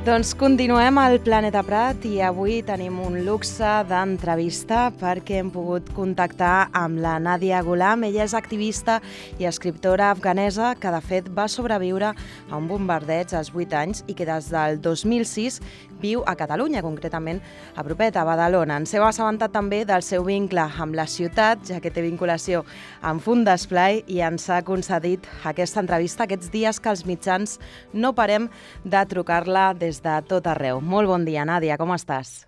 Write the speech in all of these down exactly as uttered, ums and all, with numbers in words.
Doncs continuem al Planeta Prat i avui tenim un luxe d'entrevista perquè hem pogut contactar amb la Nadia Ghulam. Ella és activista i escriptora afganesa que de fet va sobreviure a un bombardeig als vuit anys i que des del dos mil sis viu a Catalunya, concretament a propet, a Badalona. Ens heu assabentat també del seu vincle amb la ciutat, ja que té vinculació amb Fun d'Esplai i ens ha concedit aquesta entrevista aquests dies que els mitjans no parem de trucar-la des de tot arreu. Molt bon dia, Nàdia, com estàs?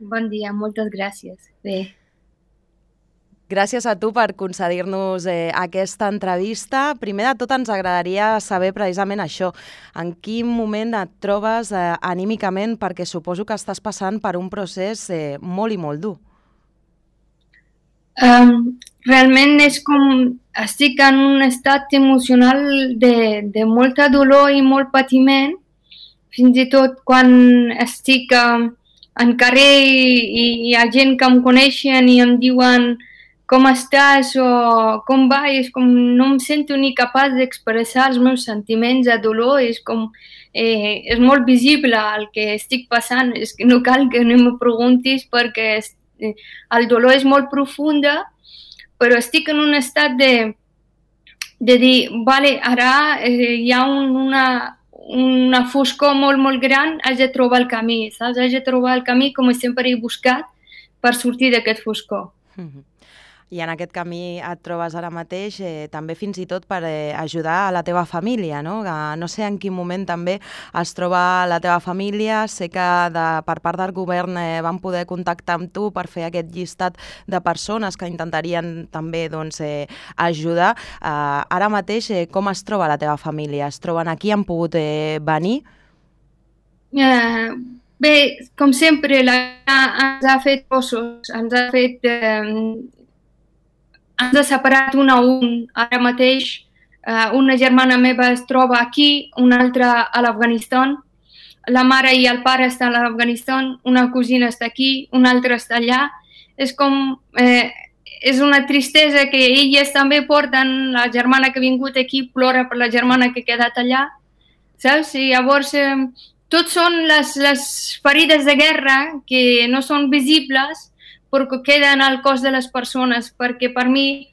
Bon dia, moltes gràcies. Bé. Gràcies a tu per concedir-nos eh, aquesta entrevista. Primer de tot ens agradaria saber precisament això, en quin moment et trobes eh, anímicament, perquè suposo que estàs passant per un procés eh, molt i molt dur. Um, realment és com estic en un estat emocional de, de molta dolor i molt patiment. Fins i tot quan estic um, en carrer i hi ha gent que em coneixen i em diuen com estàs o com va, és com no em sento ni capaç d'expressar els meus sentiments de dolor, és com eh, és molt visible el que estic passant, és que no cal que no me preguntis perquè eh, el dolor és molt profunda, però estic en un estat de, de dir, vale, ara eh, hi ha un, una, una foscor molt, molt gran, haig de trobar el camí, saps? Haig de trobar el camí com sempre he buscat per sortir d'aquest foscor. Mm-hmm. I en aquest camí et trobes ara mateix eh, també fins i tot per eh, ajudar a la teva família, no? Que no sé en quin moment també es troba la teva família. Sé que de, per part del govern eh, van poder contactar amb tu per fer aquest llistat de persones que intentarien també doncs, eh, ajudar. Eh, ara mateix eh, com es troba la teva família? Es troben aquí? Han pogut eh, venir? Uh, bé, com sempre, la ens ha fet ossos, ens ha fet... Eh, ens ha separat un a un. Ara mateix eh, una germana meva es troba aquí, una altra a l'Afganistan, la mare i el pare estan a l'Afganistan, una cosina està aquí, una altra està allà. És com... Eh, és una tristesa que elles també porten, la germana que ha vingut aquí plora per la germana que ha quedat allà, saps? I llavors eh, tot són les, les ferides de guerra que no són visibles, perquè queden al cos de les persones, perquè per mi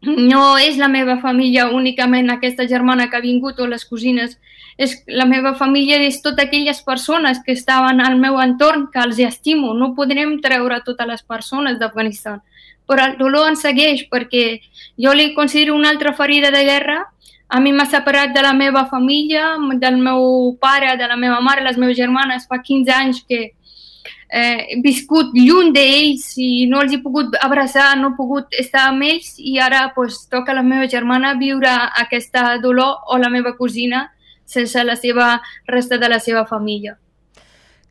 no és la meva família únicament aquesta germana que ha vingut o les cosines, és la meva família és totes aquelles persones que estaven al meu entorn, que els estimo. No podrem treure totes les persones d'Afganistan, però el dolor ens segueix perquè jo li considero una altra ferida de guerra. A mi m'ha separat de la meva família, del meu pare, de la meva mare, les meves germanes, fa quinze anys que Eh, he viscut lluny d'ells i no els he pogut abraçar, no he pogut estar amb ells i ara pues, toca a la meva germana viure aquesta dolor o la meva cosina sense la seva resta de la seva família.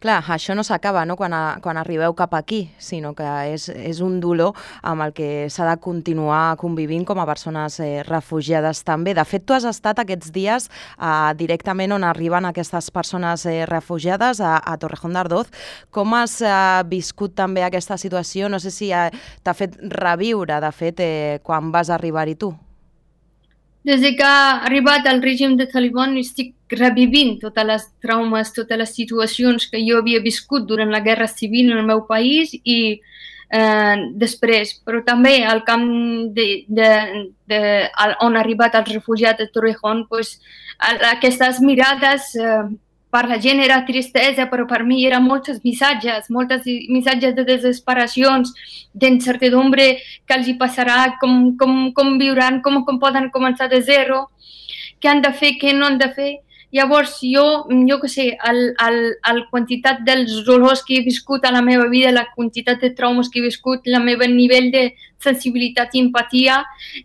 Clar, això no s'acaba, no?, quan, a, quan arribeu cap aquí, sinó que és, és un dolor amb el que s'ha de continuar convivint com a persones eh, refugiades també. De fet, tu has estat aquests dies eh, directament on arriben aquestes persones eh, refugiades, a, a Torrejón d'Ardoz. Com has eh, viscut també aquesta situació? No sé si eh, t'ha fet reviure, de fet, eh, quan vas arribar-hi tu. Des que ha arribat el règim de Taliban estic revivint totes les traumes, totes les situacions que jo havia viscut durant la guerra civil en el meu país i eh, després, però també al camp de, de, de, on ha arribat els refugiats de Torrejón, pues, aquestes mirades eh, per la gent era tristesa, però per mi eren molts missatges, molts missatges de desesperacions, d'incertidumbre que els hi passarà, com, com, com viuran, com, com poden començar de zero, què han de fer, què no han de fer. Llavors jo, jo què sé, la quantitat dels dolors que he viscut a la meva vida, la quantitat de traumes que he viscut, el meu nivell de sensibilitat i empatia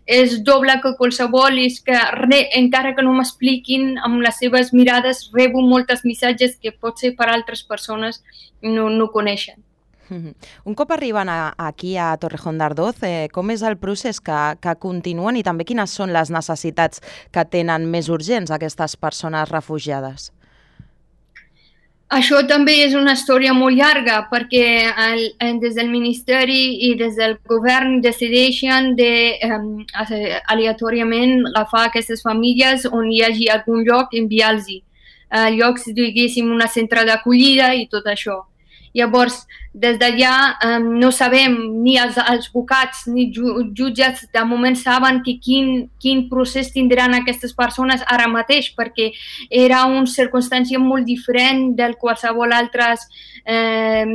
és doble que qualsevol, és que re, encara que no m'expliquin amb les seves mirades, rebo molts missatges que potser per altres persones no, no coneixen. Un cop arriben a, aquí a Torrejón d'Ardoz, eh, com és el procés que, que continuen i també quines són les necessitats que tenen més urgents aquestes persones refugiades? Això també és una història molt llarga perquè el, des del Ministeri i des del govern decideixen de, um, aleatòriament agafar aquestes famílies on hi hagi algun lloc i enviar-los-hi. eh, llocs, diguéssim, una centre d'acollida i tot això. Llavors, des d'allà eh, no sabem, ni els, els advocats ni ju, jutges de moment saben que quin, quin procés tindran aquestes persones ara mateix, perquè era una circumstància molt diferent del qualsevol altres eh,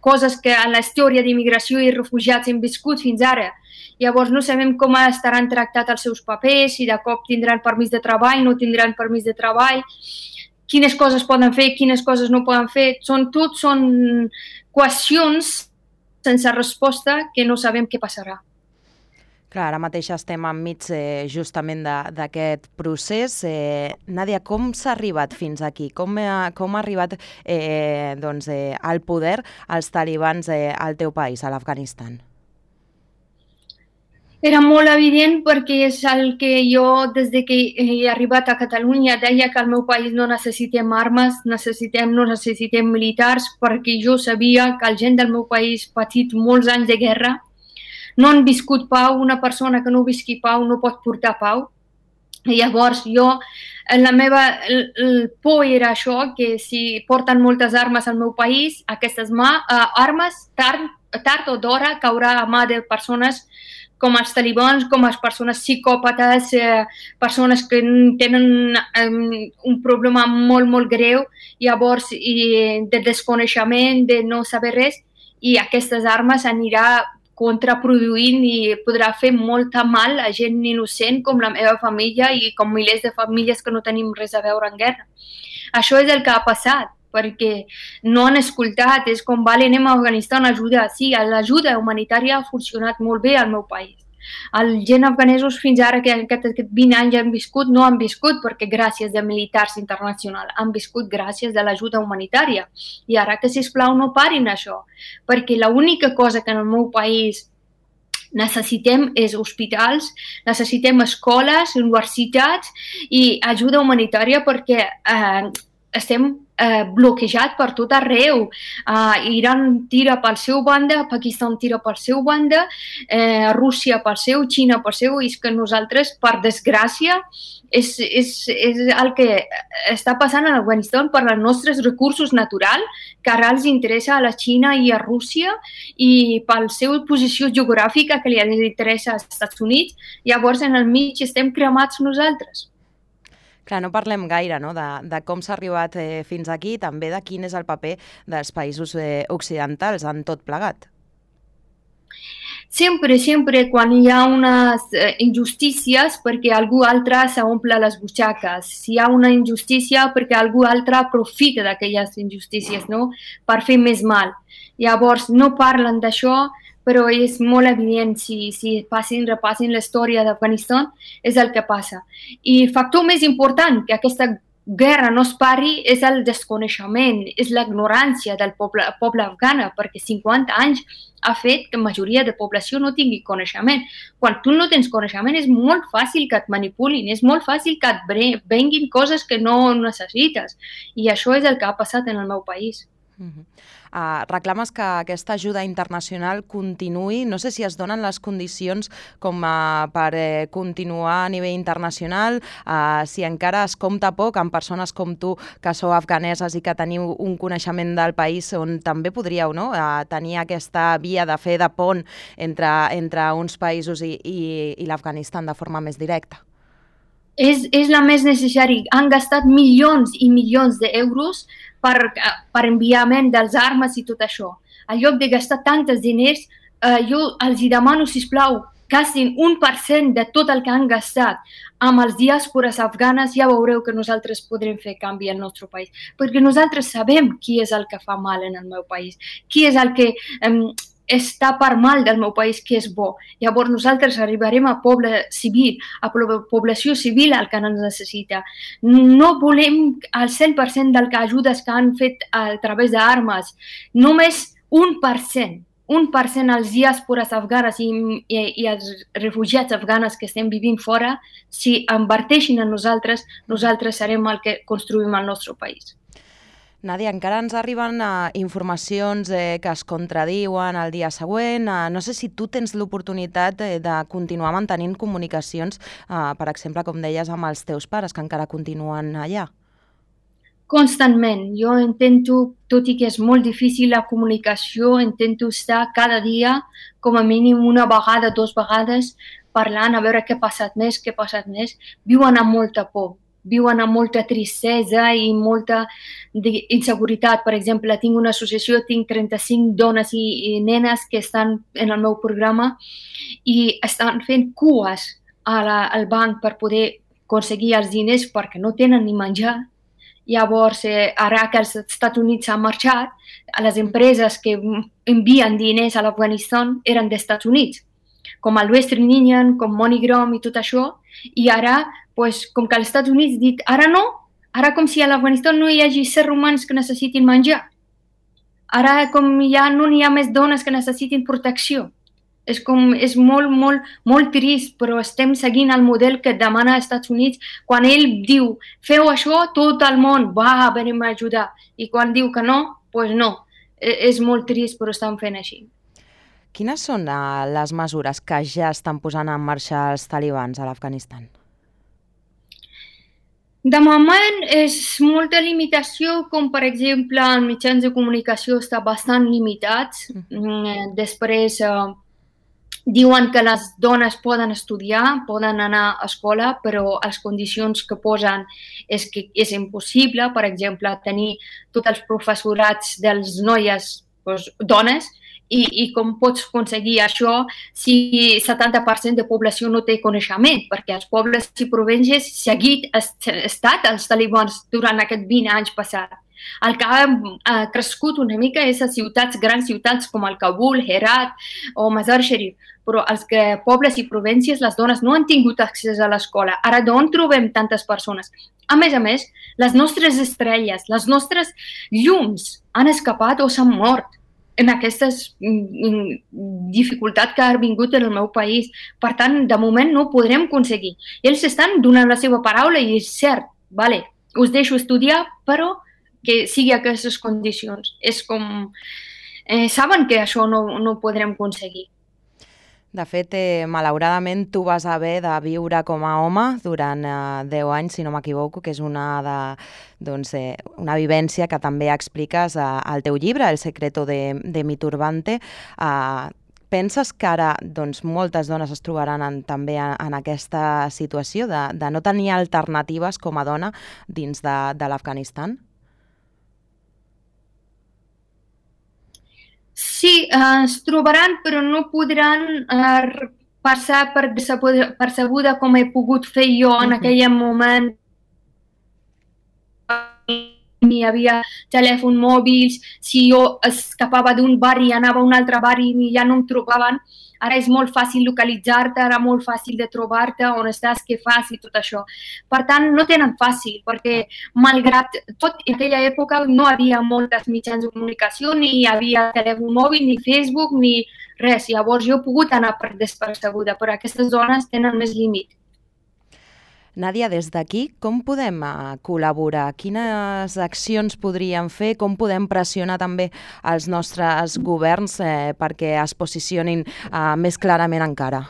coses que a la història d'immigració i refugiats hem viscut fins ara. Llavors no sabem com estaran tractats els seus papers, si de cop tindran permís de treball, no tindran permís de treball, quines coses poden fer, quines coses no poden fer. Són tot són qüestions sense resposta que no sabem què passarà. Clar, ara mateix estem enmig eh, justament d'aquest procés. Eh, Nàdia, com s'ha arribat fins aquí? Com ha, com ha arribat eh, doncs, eh, al poder els talibans eh, al teu país, a l'Afganistan? Era molt evident perquè és el que jo, des que he arribat a Catalunya, deia que al meu país no necessitem armes, necessitem, no necessitem militars, perquè jo sabia que la gent del meu país ha patit molts anys de guerra, no han viscut pau, una persona que no visqui pau no pot portar pau. I llavors jo, la meva el, el por era això, que si porten moltes armes al meu país, aquestes mà, uh, armes tard, tard o d'hora caurà a mà de persones com els talibans, com les persones psicòpates, eh, persones que tenen um, un problema molt, molt greu, llavors i de desconeixement, de no saber res, i aquestes armes anirà contraproduint i podrà fer molta mal a gent innocent com la meva família i com milers de famílies que no tenim res a veure en guerra. Això és el que ha passat, perquè no han escoltat, és com, vale, anem a Afganistan a ajudar. Sí, l'ajuda humanitària ha funcionat molt bé al meu país. Els gent afganesos fins ara que aquests vint anys han viscut, no han viscut perquè gràcies a militars internacionals, han viscut gràcies a l'ajuda humanitària. I ara que, sisplau, no parin això, perquè l'única cosa que en el meu país necessitem és hospitals, necessitem escoles, universitats i ajuda humanitària perquè eh, estem eh, bloquejats per tot arreu. Uh, Iran tira pel seu banda, Pakistan tira pel seu banda, eh, Rússia pel seu, Xina pel seu, i és que nosaltres, per desgràcia, és, és, és el que està passant a l'Afganistan per els nostres recursos naturals, que ara els interessa a la Xina i a Rússia, i per la seva posició geogràfica que li interessa als Estats Units. Llavors, en el mig estem cremats nosaltres. Clar, no parlem gaire, no?, de, de com s'ha arribat eh, fins aquí i també de quin és el paper dels països eh, occidentals en tot plegat. Sempre, sempre, quan hi ha unes eh, injustícies perquè algú altre s'omple les butxaques. Si hi ha una injustícia perquè algú altre aprofita d'aquelles injustícies, no?, per fer més mal. Llavors, no parlen d'això, però és molt evident, si, si passin, repassin la història d'Afganistan, és el que passa. I el factor més important que aquesta guerra no es pari és el desconeixement, és l'ignorància del poble, poble afgana, perquè cinquanta anys ha fet que la majoria de població no tingui coneixement. Quan tu no tens coneixement és molt fàcil que et manipulin, és molt fàcil que et venguin coses que no necessites. I això és el que ha passat en el meu país. Uh-huh. Uh, reclames que aquesta ajuda internacional continuï. No sé si es donen les condicions com uh, per eh, continuar a nivell internacional, uh, si encara es compta poc amb persones com tu que sou afganeses i que teniu un coneixement del país on també podríeu, no?, uh, tenir aquesta via de fer de pont entre, entre uns països i, i, i l'Afganistan de forma més directa. És, és la més necessària. Han gastat milions i milions d'euros per, per enviament dels armes i tot això. En lloc de gastar tantes diners, eh, jo els demano, sisplau, gastin un per cent de tot el que han gastat amb els diàspores afganes, ja veureu que nosaltres podrem fer canvi al nostre país. Perquè nosaltres sabem qui és el que fa mal en el meu país, qui és el que eh, està per mal del meu país, que és bo. Llavors nosaltres arribarem a poble civil, a població civil el que ens necessita. No volem el cent per cent del que ajudes que han fet a través d'armes, només un per cent. Un per cent als diàspores afganes i, i, i als refugiats afganes que estem vivint fora, si inverteixin en nosaltres, nosaltres serem el que construïm el nostre país. Nàdia, encara ens arriben uh, informacions eh, que es contradiuen el dia següent. Uh, no sé si tu tens l'oportunitat eh, de continuar mantenint comunicacions, uh, per exemple, com deies, amb els teus pares, que encara continuen allà. Constantment. Jo intento, tot i que és molt difícil la comunicació, intento estar cada dia, com a mínim una vegada, dues vegades, parlant, a veure què ha passat més, què ha passat més. Viuen amb molta por, viuen amb molta tristesa i molta inseguretat. Per exemple, tinc una associació, tinc trenta-cinc dones i, i nenes que estan en el meu programa i estan fent cues a la, al banc per poder aconseguir els diners perquè no tenen ni menjar. Llavors, eh, ara que els Estats Units han marxat, les empreses que envien diners a l'Afganistan eren dels Estats Units, com el Western Union, com MoneyGram i tot això, i ara, pues, com que els Estats Units dit, ara no, ara com si a l'Afganistan no hi hagi éssers humans que necessitin menjar. Ara com ja no hi ha més dones que necessitin protecció. És, com, és molt, molt, molt trist, però estem seguint el model que et demana als Estats Units. Quan ell diu, feu això, tot el món va, venim a ajudar. I quan diu que no, doncs pues no. És molt trist, però estan fent així. Quines són les mesures que ja estan posant en marxa els talibans a l'Afganistan? De moment és molta limitació, com per exemple els mitjans de comunicació estan bastant limitats. Mm. Després eh, diuen que les dones poden estudiar, poden anar a escola, però les condicions que posen és que és impossible, per exemple, tenir tots els professorats dels noies, doncs, dones, i, i com pots aconseguir això si setanta per cent de població no té coneixement, perquè els pobles i províncies seguit estat els talibans durant aquests vint anys passats. El que ha crescut una mica és a ciutats, grans ciutats com el Kabul, Herat o Mazar-e-Sharif, però els que, pobles i províncies, les dones no han tingut accés a l'escola. Ara d'on trobem tantes persones? A més a més, les nostres estrelles, les nostres llums han escapat o s'han mort en aquesta dificultat que ha vingut en el meu país. Per tant, de moment no ho podrem aconseguir. Ells estan donant la seva paraula i és cert, vale, us deixo estudiar, però que sigui aquestes condicions. És com... Eh, saben que això no, no ho podrem aconseguir. De fet, eh, malauradament, tu vas haver de viure com a home durant eh, deu anys, si no m'equivoco, que és una, de, doncs, eh, una vivència que també expliques eh, al teu llibre, El secreto de, de mi turbante. Eh, penses que ara doncs, moltes dones es trobaran en, també en, en aquesta situació de, de no tenir alternatives com a dona dins de, de l'Afganistan? Sí, eh, es trobaran, però no podran eh, passar per percebuda com he pogut fer jo en uh-huh. aquell moment. Hi havia telèfons mòbils, si jo escapava d'un barri i anava a un altre barri i ja no em trobaven. Ara és molt fàcil localitzar-te, ara molt fàcil de trobar-te, on estàs, què fas i tot això. Per tant, no tenen fàcil, perquè malgrat tot, en aquella època no hi havia moltes mitjans de comunicació, ni hi havia telèfon mòbil, ni Facebook, ni res. Llavors jo he pogut anar per despercebuda, però aquestes dones tenen més límit. Nàdia, des d'aquí, com podem col·laborar? Quines accions podríem fer? Com podem pressionar també els nostres governs eh, perquè es posicionin eh, més clarament encara?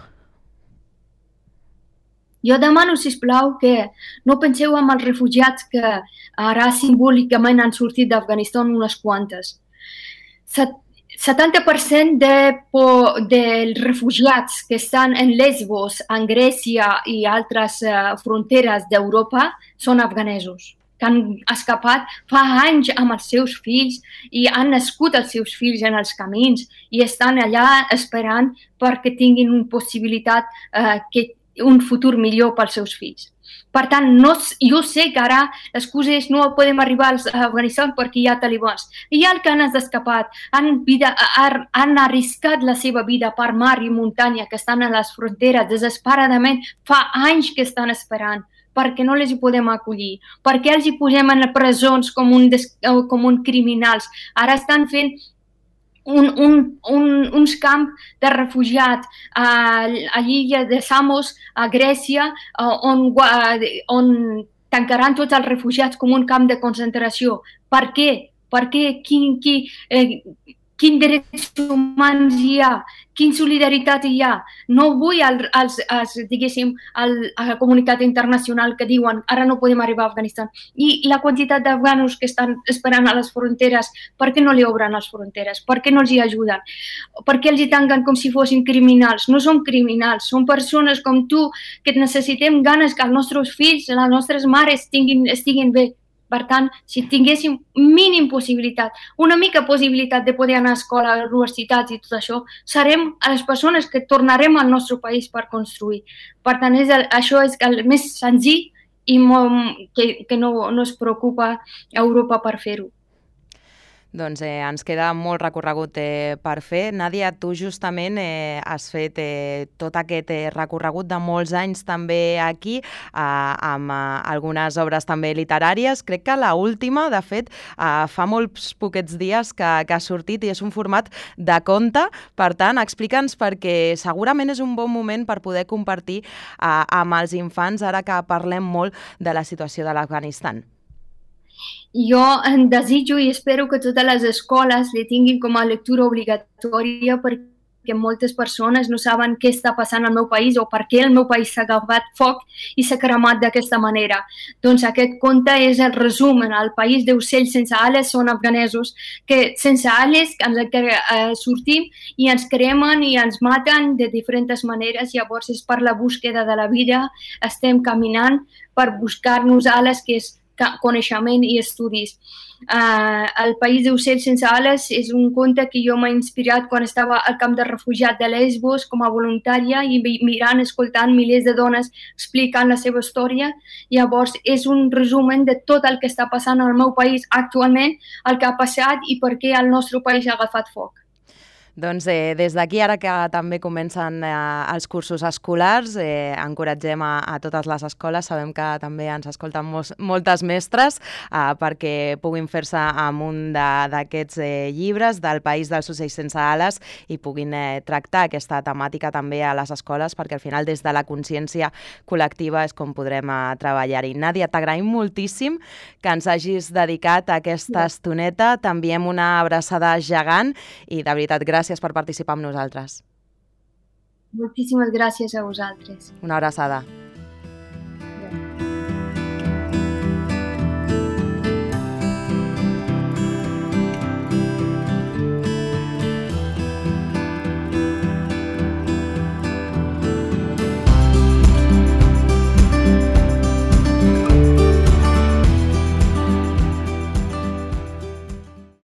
Jo demano, sisplau, que no penseu en els refugiats que ara simbòlicament han sortit d'Afganistan unes quantes. setanta per cent de, dels refugiats que estan en Lesbos, en Grècia i altres uh, fronteres d'Europa són afganesos, que han escapat fa anys amb els seus fills i han nascut els seus fills en els camins i estan allà esperant perquè tinguin una possibilitat, uh, que, un futur millor pels seus fills. Per tant, no, jo sé que ara l'excusa és no podem arribar a Afganistan perquè hi ha talibans. Hi ha els que han escapat, han, vida, han arriscat la seva vida per mar i muntanya, que estan a les fronteres desesperadament, fa anys que estan esperant, perquè no les hi podem acollir, perquè els hi posem en presons com un, com un criminals. Ara estan fent Un, un, un, uns camps de refugiats a, a l'illa de Samos, a Grècia, on, on tancaran tots els refugiats com un camp de concentració. Per què? Per què? Qui, qui, eh, quins drets humans hi ha, quina solidaritat hi ha. No vull al, als, als, diguéssim, al, a la comunitat internacional que diuen ara no podem arribar a Afganistan. I la quantitat d'afganos que estan esperant a les fronteres, per què no li obren les fronteres? Per què no els hi ajuden? Per què els hi tanquen com si fossin criminals? No som criminals, som persones com tu que necessitem ganes que els nostres fills, les nostres mares tinguin, estiguin bé. Per tant, si tinguéssim mínim possibilitat, una mica possibilitat de poder anar a escola, a universitats i tot això, serem a les persones que tornarem al nostre país per construir. Per tant, és el, això és el més senzill i molt, que, que no, no es preocupa Europa per fer-ho. Doncs eh, ens queda molt recorregut eh, per fer. Nàdia, tu justament eh, has fet eh, tot aquest eh, recorregut de molts anys també aquí, eh, amb eh, algunes obres també literàries. Crec que la última, de fet, eh, fa molts poquets dies que, que ha sortit i és un format de conte. Per tant, explica'ns, perquè segurament és un bon moment per poder compartir eh, amb els infants, ara que parlem molt de la situació de l'Afganistan. Jo en desitjo i espero que totes les escoles li tinguin com a lectura obligatòria perquè moltes persones no saben què està passant al meu país o per què el meu país s'ha agafat foc i s'ha cremat d'aquesta manera. Doncs aquest conte és el resum. El país d'ocells sense ales són afganesos que sense ales ens eh, sortim i ens cremen i ens maten de diferents maneres. Llavors és per la búsqueda de la vida, estem caminant per buscar-nos ales, que és coneixement i estudis. Uh, el país d'ocells sense ales és un conte que jo m'ha inspirat quan estava al camp de refugiat de Lesbos com a voluntària i mirant, escoltant milers de dones explicant la seva història. Llavors és un resumen de tot el que està passant al meu país actualment, el que ha passat i per què el nostre país ha agafat foc. Doncs eh, des d'aquí, ara que també comencen eh, els cursos escolars, eh, encoratgem a, a totes les escoles, sabem que també ens escolten mos, moltes mestres eh, perquè puguin fer-se amb un d'aquests eh, llibres del País dels ocells sense ales i puguin eh, tractar aquesta temàtica també a les escoles, perquè al final des de la consciència col·lectiva és com podrem eh, treballar-hi. Nàdia, t'agraïm moltíssim que ens hagis dedicat a aquesta estoneta, t'enviem una abraçada gegant i de veritat gràcies Gràcies per participar amb nosaltres. Moltíssimes gràcies a vosaltres. Una abraçada.